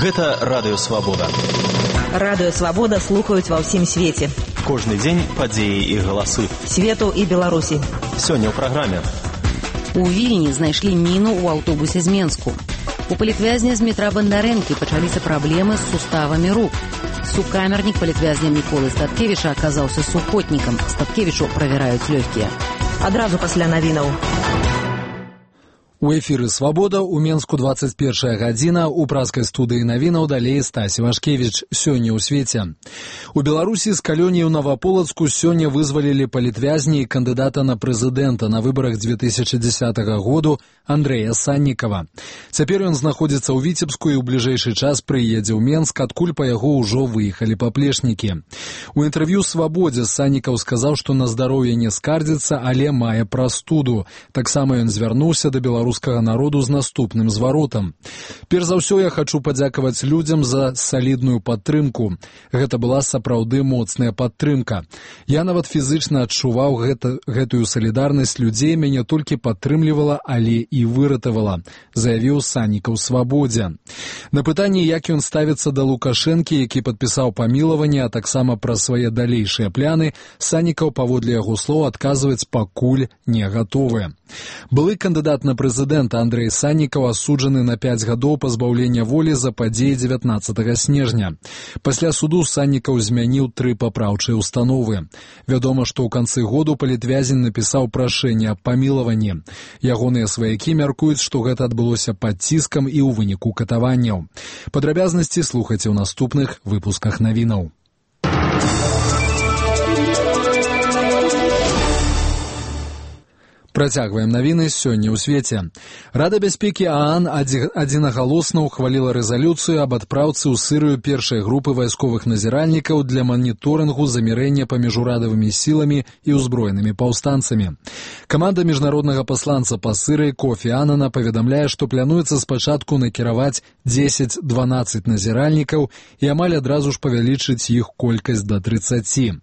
Гэта Радыё Свабода. Радыё Свабода слухаюць ва ўсім свеце. Кожны дзень падзеі і галасы. Свету і Беларусі. Сёння ў праграме. У Вільні знайшлі міну ў аўтобусе з Менску. У палітвязня з метра Бандарэнкі пачаліся праблемы з суставамі рук. Сукамернік палітвязня Міколы Статкевіча аказаўся сухотнікам. Статкевічу правяраюць лёгкія. Адразу пасля навінаў. У эфіры «Свабода» у Менску 21 гадзіна, у праскай студыі навінаў далей Стась Івашкевіч. Сёння ў свеце. У Беларусі з калоніі ў Наваполацку сёння вызвалілі палітвязні і кандыдата на прэзідэнта на выбарах 2010 году Андрэя Саннікава. Цяпер ён знаходзіцца ў Віцебску і ў бліжэйшы час прыедзе ў Менск, адкуль па яго ўжо выехалі паплечнікі. У інтэрв'ю «Свабодзе» Саннікаў сказаў, што на здароўе не скардзіцца, але мае прастуду. Таксама ён звярнуўся да беларускага народу з наступным зваротам. Перш за ўсё я хачу падзякаваць людзям за салідную падтрымку. Гэта была сапраўды моцная падтрымка. Я нават фізычна адчуваў гэтую салідарнасць людзей, мяне толькі падтрымлівала, але і выратавала, заявіў Саннікаў «Свабодзе». На пытанне, як ён ставіцца да Лукашэнкі, які падпісаў памілаванне, а таксама пра свае далейшыя пляны, Саннікаў, паводле яго слоў, адказваць пакуль не гатовы. Былы кандыдат на прэзідэнта Андрэй Саннікаў асуджаны на 5 гадоў пазбаўлення волі за падзеі 19 снежня. Пасля суду Саннікаў змяніў 3 папраўчыя установы. Вядома, што ў канцы году палітвязень напісаў прашэнне аб памілаванні. Ягоныя сваякі мяркуюць, што гэта адбылося пад ціскам і ў выніку катаванняў. Падрабязнасці слухайце ў наступных выпусках навінаў. Працягваем навіны сёння ў свеце. Рада бяспекі ААН адзінагалосна ўхваліла рэзалюцыю аб адпраўцы ў Сырыю першай групы вайсковых назіральнікаў для маніторынгу замірэння паміж урадавымі сіламі і ўзброенымі паўстанцамі. Каманда міжнароднага пасланца па Сырыі Кофі Аннана паведамляе, што плануецца спачатку накіраваць 10-12 назіральнікаў і амаль адразу ж павялічыць іх колькасць да 30.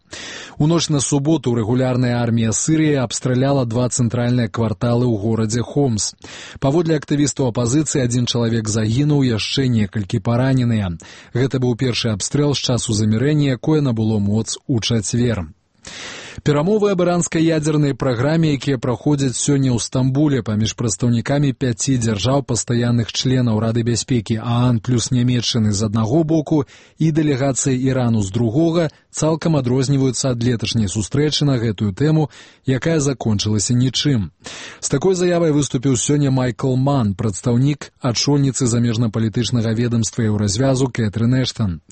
У ноч на суботу рэгулярная армія Сырыі абстраляла 2 цэнтральныя кварталы ў горадзе Хомс. Паводле актывістаў апазіцыі, 1 чалавек загінуў, яшчэ некалькі параненыя. Гэта быў першы абстрэл з часу замірэння, якое набыло моц у чацвер. Перамовы аб іранскай ядзернай праграме, якія праходзяць сёння ў Стамбуле паміж прадстаўнікамі 5 дзяржаў пастаянных членаў Рады бяспекі ААН плюс Нямецчыны з аднаго боку і дэлегацыі Ірану з другога, цалкам адрозніваюцца ад леташняй сустрэчы на гэтую тэму, якая закончылася нічым. З такой заявай выступіў сёння Майкл Ман, прадстаўнік ачольніцы замежнапалітычнага ведамства і развязу Кэтрын Эштан.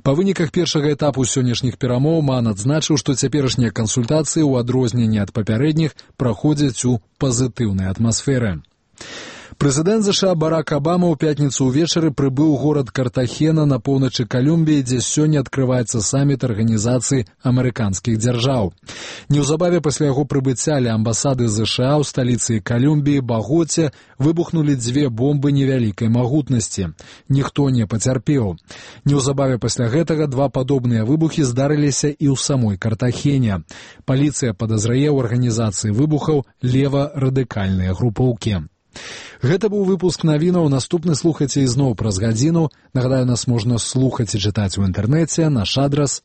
Па выніках першага этапу сённяшніх перамоў Ман адзначыў, што цяперашнія кансультацыі ў адрозненні ад папярэдніх праходзяць у пазітыўнай атмасферы. Прэзідэнт ЗША Барак Абама ў пятніцу ўвечары прыбыў у горад Картахена на поўначы Калумбіі, дзе сёння адкрываецца саміт арганізацыі амерыканскіх дзяржаў. Неўзабаве пасля яго прыбыцця ля амбасады ЗША ў сталіцы Калумбіі Багоце выбухнулі 2 бомбы невялікай магутнасці. Ніхто не пацярпеў. Неўзабаве пасля гэтага 2 падобныя выбухі здарыліся і ў самой Картахене. Паліцыя падазрае ў арганізацыі выбухаў лева-радыкальныя групоўкі. Гэта быў выпуск навінаў. Наступны слухайце ізноў праз гадзіну. Нагадаю, нас можна слухаць і чытаць у інтэрнэце. Наш адрас